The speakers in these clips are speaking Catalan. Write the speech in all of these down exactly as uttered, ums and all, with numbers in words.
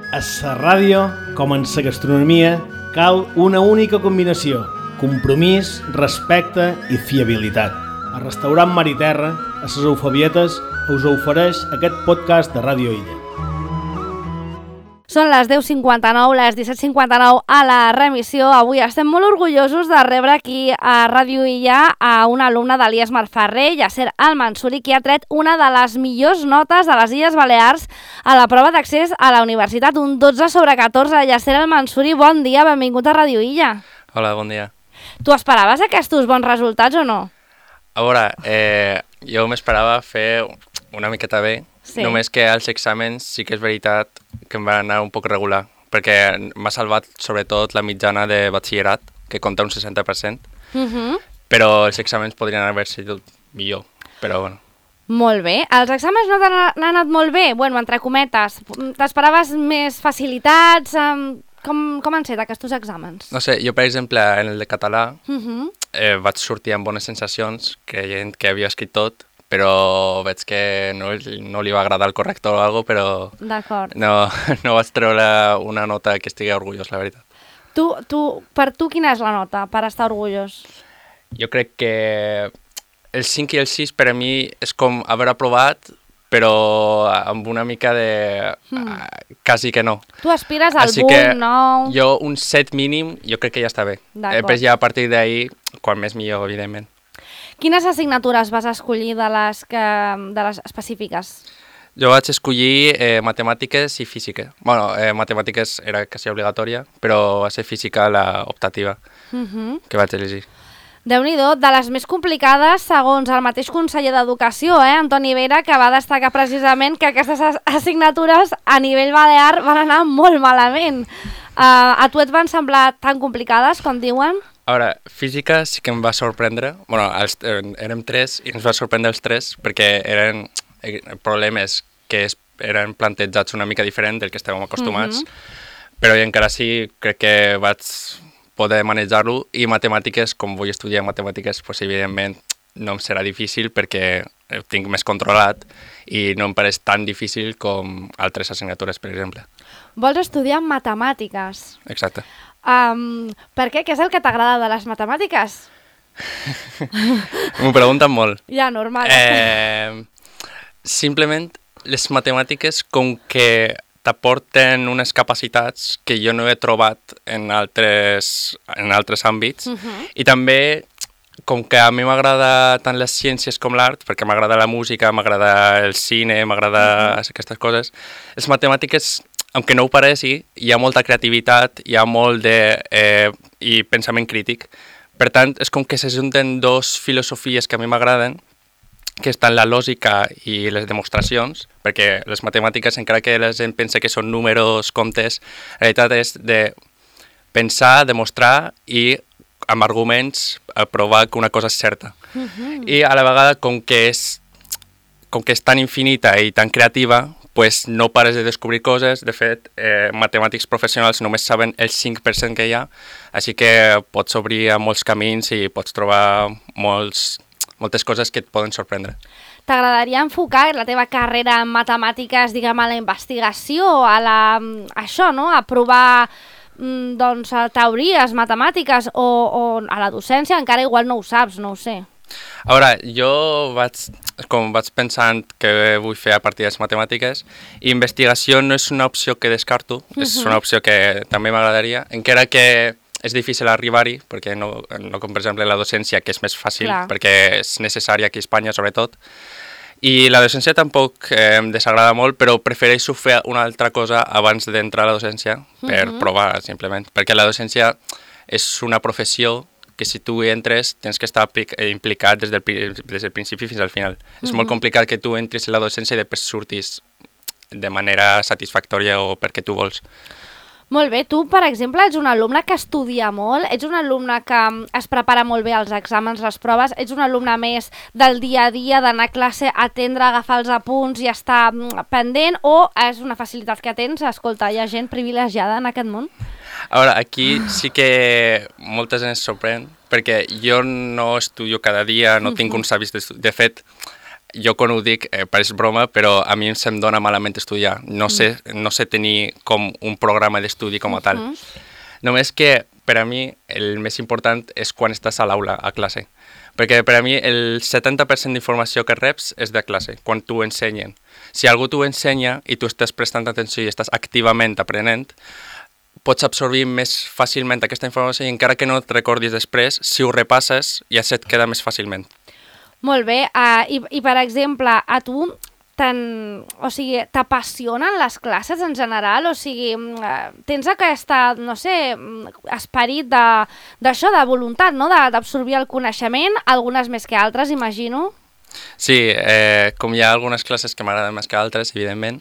A la ràdio, com en la gastronomia, cal una única combinació: compromís, respecte i fiabilitat. El restaurant Mar i Terra, a les Eufabietes, us ofereix aquest podcast de Ràdio Illa. Són les deu cinquanta-nou, les disset cinquanta-nou a la remissió. Avui estem molt orgullosos de rebre aquí a Ràdio Illa a un alumne de l'I E S Marferrer, Yasser Al-Mansuri, que ha tret una de les millors notes de les Illes Balears a la prova d'accés a la universitat, un dotze sobre catorze. Yasser Al-Mansuri, bon dia, benvingut a Ràdio Illa. Hola, bon dia. Tu esperaves aquests bons resultats o no? A veure, eh, jo m'esperava fer una miqueta bé, sí. Només que als exàmens sí que és veritat que em va anar un poc regular, perquè m'ha salvat sobretot la mitjana de batxillerat, que compta un seixanta per cent, uh-huh. Però els exàmens podrien haver sigut millor, però bueno. Molt bé. Els exàmens no t'han anat molt bé? Bueno, entre cometes. T'esperaves més facilitats? Com, com han set aquests exàmens? No sé, jo per exemple en el de català uh-huh. eh, vaig sortir amb bones sensacions, creient que havia escrit tot, però veig que no, no li va agradar el corrector o alguna cosa, però D'acord. no, no vaig treure una nota que estigui orgullós, la veritat. Tu, tu, per tu quina és la nota per estar orgullós? Jo crec que el cinc i el sis per a mi és com haver aprovat, però amb una mica de... Hmm. Uh, quasi que no. Tu aspires al Així boom, nou... Jo un set mínim, jo crec que ja està bé. Després ja a partir d'ahir, quan més millor, evidentment. Quines assignatures vas escollir de les, que, de les específiques? Jo vaig escollir eh, matemàtiques i física. Bueno, eh, matemàtiques era quasi obligatòria, però va ser física la optativa uh-huh. que vaig elegir. Déu-n'hi-do, de les més complicades, segons el mateix conseller d'Educació, eh, Antoni Vera, que va destacar precisament que aquestes assignatures a nivell balear van anar molt malament. Uh, a tu et van semblar tan complicades, com diuen? A veure, física sí que em va sorprendre. Bueno, els, eh, érem tres i ens va sorprendre els tres perquè eren problemes que es, eren plantejats una mica diferent del que estàvem acostumats, uh-huh. però encara sí crec que vaig poder manejar-lo, i matemàtiques, com vull estudiar matemàtiques, pues, evidentment no em serà difícil perquè ho tinc més controlat i no em pareix tan difícil com altres assignatures, per exemple. Vols estudiar matemàtiques? Exacte. Um, per què? Què és el que t'agrada de les matemàtiques? M'ho pregunten molt. Ja, normal. Eh, simplement, les matemàtiques, com que t'aporten unes capacitats que jo no he trobat en altres, en altres àmbits, uh-huh. i també, com que a mi m'agrada tant les ciències com l'art, perquè m'agrada la música, m'agrada el cine, m'agrada uh-huh. aquestes coses, les matemàtiques, aunque no ho pareixi, hi ha molta creativitat, hi ha molt de eh, i pensament crític. Per tant, és com que s'ajunten dos filosofies que a mi m'agraden, que estan la lògica i les demostracions, perquè les matemàtiques, encara que la gent pensa que són números, comptes, la realitat és de pensar, demostrar i amb arguments provar que una cosa és certa. Uh-huh. I a la vegada, com que és, com que és tan infinita i tan creativa, pues no pares de descobrir coses. De fet, eh, matemàtics professionals només saben el cinc per cent que hi ha, així que pots obrir a molts camins i pots trobar molts, moltes coses que et poden sorprendre. T'agradaria enfocar la teva carrera en matemàtiques, diguem, a la investigació, a la, a això, no? A provar doncs, teories matemàtiques o, o a la docència? Encara igual no ho saps, no ho sé. A veure, jo vaig, com vaig pensant que vull fer a partir de les matemàtiques, i investigació no és una opció que descarto, uh-huh. és una opció que també m'agradaria, encara que és difícil arribar-hi, perquè no, no com per exemple la docència, que és més fàcil, clar. Perquè és necessària aquí a Espanya sobretot, i la docència tampoc eh, em desagrada molt, però prefereixo fer una altra cosa abans d'entrar a la docència, per uh-huh. provar simplement, perquè la docència és una professió que si tu entres tens que estar implicat des del, des del principi fins al final. Uh-huh. És molt complicat que tu entris en la docència i després surtis de manera satisfactòria o perquè tu vols. Molt bé, tu, per exemple, ets un alumne que estudia molt, ets un alumne que es prepara molt bé als exàmens, les proves, ets un alumne més del dia a dia, d'anar a classe, atendre, agafar els apunts i estar pendent, o és una facilitat que tens? Escolta, hi ha gent privilegiada en aquest món? A veure, aquí sí que molta gent es sorprèn, perquè jo no estudio cada dia, no tinc uns hàbits d'estudi. De fet, jo quan ho dic eh, pareix broma, però a mi se'm dona malament estudiar. No sé, no sé tenir com un programa d'estudi com a tal. Uh -huh. Només que per a mi el més important és quan estàs a l'aula, a classe. Perquè per a mi el setanta per cent d'informació que reps és de classe, quan t'ho ensenyen. Si algú t'ho ensenya i tu estàs prestant atenció i estàs activament aprenent, pots absorbir més fàcilment aquesta informació i encara que no et recordis després, si ho repasses ja se't queda més fàcilment. Molt bé, uh, i, i per exemple, a tu o sigui, t'apassionen les classes en general? O sigui, uh, tens aquesta, no sé, esperit d'això, de, de voluntat, no?, d'absorbir el coneixement, algunes més que altres, imagino? Sí, eh, com hi ha algunes classes que m'agraden més que altres, evidentment,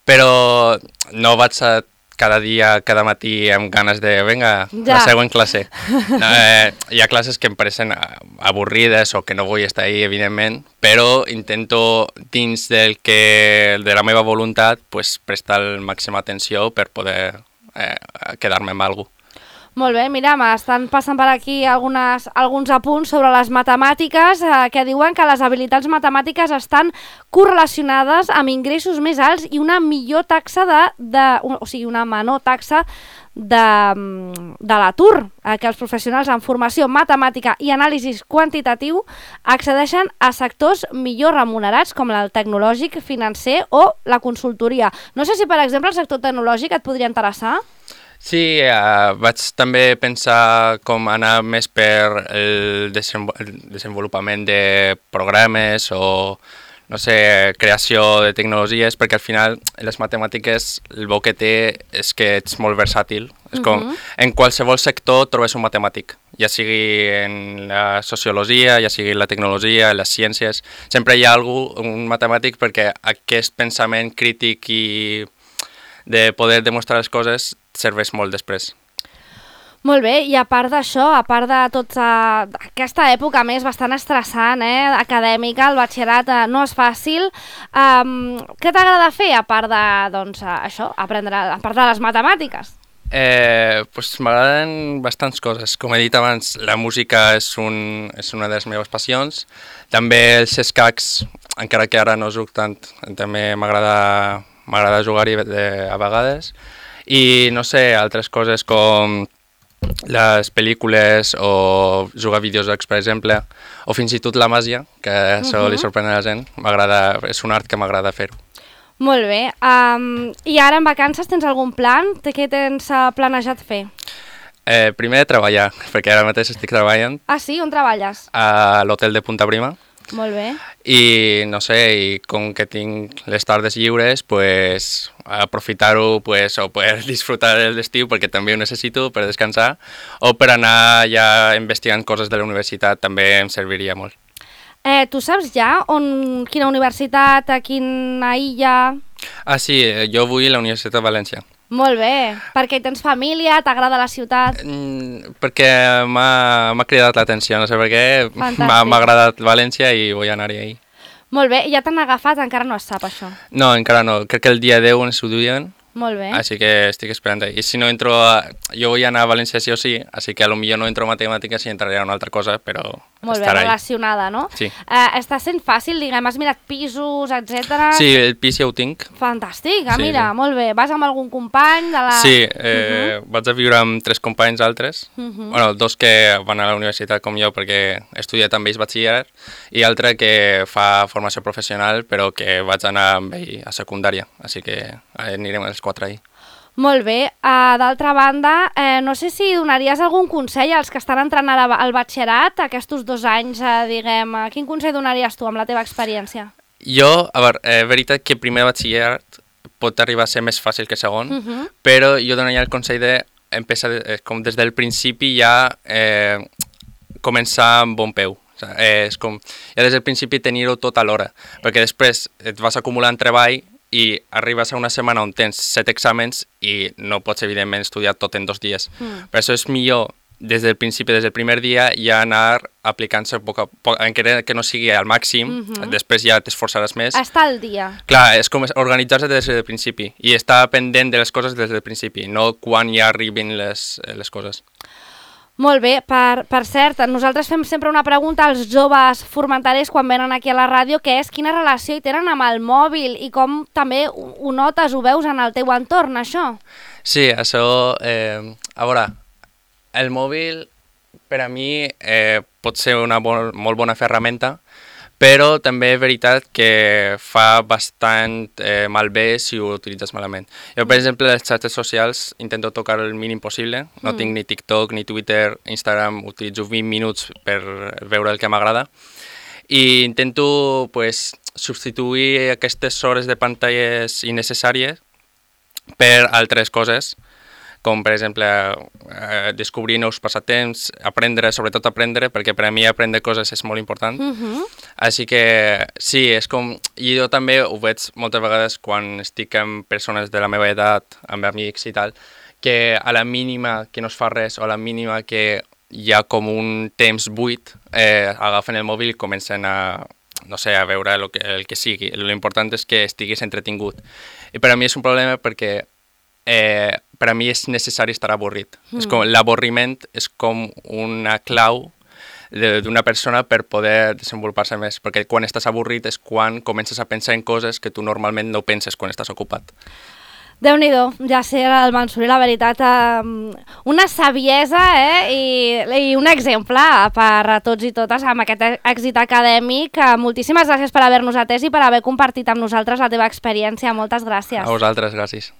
però no vaig a cada dia, cada matí amb ganes de, vinga, ja. La següent classe. No, eh, hi ha classes que em pareixen avorrides o que no vull estar ahí, evidentment, però intento, dins del que, de la meva voluntat, pues, prestar la màxima atenció per poder eh, quedar-me amb alguna cosa. Molt bé, mira, m'estan passant per aquí algunes, alguns apunts sobre les matemàtiques eh, que diuen que les habilitats matemàtiques estan correlacionades amb ingressos més alts i una millor taxa de, de o sigui, una menor taxa de, de l'atur, eh, que els professionals en formació matemàtica i anàlisi quantitatiu accedeixen a sectors millor remunerats com el tecnològic, financer o la consultoria. No sé si, per exemple, el sector tecnològic et podria interessar? Sí, uh, vaig també pensar com anar més per el, desenvol el desenvolupament de programes o, no sé, creació de tecnologies, perquè al final les matemàtiques el bo que té és que ets molt versàtil. És com, uh-huh. En qualsevol sector trobes un matemàtic, ja sigui en la sociologia, ja sigui en la tecnologia, en les ciències. Sempre hi ha algú, un matemàtic, perquè aquest pensament crític i de poder demostrar les coses serveix molt després. Molt bé, i a part d'això, a part de tota aquesta època més bastant estressant, eh, acadèmica, el batxillerat eh, no és fàcil, um, què t'agrada fer a part de, doncs, això, aprendre, a part de les matemàtiques? Eh, pues m'agraden bastants coses. Com he dit abans, la música és, un, és una de les meves passions. També els escacs, encara que ara no jugo tant, també m'agrada m'agrada jugar-hi a vegades. I, no sé, altres coses com les pel·lícules o jugar a videojocs, per exemple, o fins i tot la màgia, que això uh-huh. li sorprèn a la gent. M'agrada, és un art que m'agrada fer-ho. Molt bé. Um, I ara en vacances tens algun plan? Què tens uh, planejat fer? Eh, primer treballar, perquè ara mateix estic treballant. Ah, sí? On treballes? A l'hotel de Punta Prima. Molt bé. I, no sé, i com que tinc les tardes lliures, pues, aprofitar-ho pues, o poder disfrutar de l'estiu, perquè també ho necessito per descansar, o per anar ja investigant coses de la universitat, també em serviria molt. Eh, tu saps ja on, quina universitat, a quina illa? Ah, sí, jo vull a la Universitat de València. Molt bé, perquè tens família, t'agrada la ciutat? Mm, perquè m'ha cridat l'atenció, no sé per què, m'ha agradat València i vull anar-hi ahir. Molt bé, ja t'han agafat, encara no es sap això? No, encara no, crec que el dia deu ens ho diuen. Molt bé. Així que estic esperant ahí. I si no entro a... Jo vull anar a València sí o sí, així que potser no entro a matemàtiques i entraré a una altra cosa, però molt bé, relacionada, no? Sí. Uh, està sent fàcil, diguem, has mirat pisos, etcètera. Sí, el pis ja ho tinc. Fantàstic, ah, sí, mira, sí. Molt bé. Vas amb algun company de la... Sí, eh, uh-huh. vaig a viure amb tres companys altres, uh-huh. bueno, dos que van a la universitat com jo perquè he estudiat amb ells batxillerat i altre que fa formació professional però que vaig anar amb ell a secundària, així que anirem els quatre ahí. Molt bé. Uh, D'altra banda, eh, no sé si donaries algun consell als que estan entrant ara al batxillerat, aquests dos anys, eh, diguem, uh, quin consell donaries tu amb la teva experiència? Jo, a veure, és eh, veritat que primer batxillerat pot arribar a ser més fàcil que segon, uh-huh. però jo donaria el consell de empezar, eh, com des del principi ja eh, començar amb bon peu. O sigui, eh, és com, ja des del principi tenir-ho tot a l'hora, perquè després et vas acumulant treball i arribes a una setmana on tens set exàmens i no pots, evidentment, estudiar tot en dos dies. Mm. Per això és millor, des del principi, des del primer dia, ja anar aplicant-se poc a poc, encara que no sigui al màxim, mm-hmm. després ja t'esforçaràs més. Estar al dia. Clar, és com organitzar-se des del principi i estar pendent de les coses des del principi, no quan ja arribin les, les coses. Molt bé, per, per cert, nosaltres fem sempre una pregunta als joves formenterers quan venen aquí a la ràdio, que és quina relació hi tenen amb el mòbil i com també ho, ho notes, ho veus en el teu entorn, això? Sí, això, eh, a veure, el mòbil per a mi eh, pot ser una bon, molt bona ferramenta, però també és veritat que fa bastant eh, malbé si ho utilitzes malament. Jo, per exemple, les xarxes socials intento tocar el mínim possible. No mm. tinc ni TikTok, ni Twitter, Instagram, utilitzo vint minuts per veure el que m'agrada. I intento pues, substituir aquestes hores de pantalles innecessàries per altres coses, com per exemple eh, descobrir nous passatemps, aprendre, sobretot aprendre, perquè per a mi aprendre coses és molt important. Uh-huh. Així que sí, és com... I jo també ho veig moltes vegades quan estic amb persones de la meva edat, amb amics i tal, que a la mínima que no es fa res o a la mínima que hi ha com un temps buit, eh, agafen el mòbil i comencen a, no sé, a veure el que, el que sigui. L'important és que estiguis entretingut. I per a mi és un problema perquè eh, per a mi és necessari estar avorrit. Mm. És com, l'avorriment és com una clau d'una persona per poder desenvolupar-se més, perquè quan estàs avorrit és quan comences a pensar en coses que tu normalment no penses quan estàs ocupat. Déu-n'hi-do, ja sé el Mansouri, la veritat, eh, una saviesa eh, i, i un exemple per a tots i totes amb aquest èxit acadèmic. Moltíssimes gràcies per haver-nos atès i per haver compartit amb nosaltres la teva experiència. Moltes gràcies. A vosaltres, gràcies.